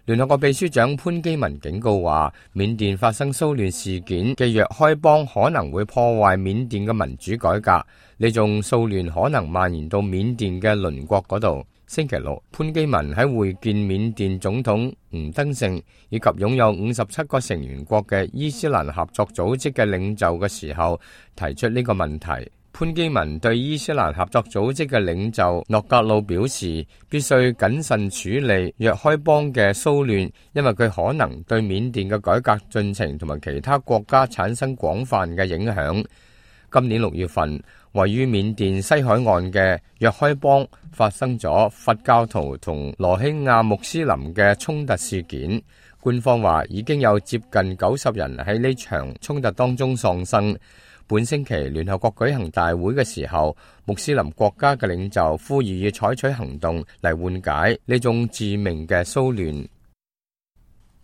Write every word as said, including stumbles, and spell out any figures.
聯合國秘書長潘基文警告話，緬甸發生騷亂事件嘅若開邦可能會破壞緬甸嘅民主改革，呢種騷亂可能蔓延到緬甸嘅鄰國嗰度。星期六，潘基文喺會見緬甸總統吳登盛以及擁有五十七個成員國嘅伊斯蘭合作組織嘅領袖嘅時候，提出呢個問題。潘基文對伊斯蘭合作組織嘅領袖諾格魯表示，必須謹慎處理若開邦嘅騷亂，因為佢可能對緬甸嘅改革進程同埋其他國家產生廣泛嘅影響。今年六月份，位於緬甸西海岸嘅若開邦發生咗佛教徒同羅興亞穆斯林嘅衝突事件。官方話已經有接近九十人喺呢場衝突當中喪生。本星期聯合國舉行大會嘅時候，穆斯林國家嘅領袖呼籲要採取行動嚟緩解呢種致命嘅騷亂。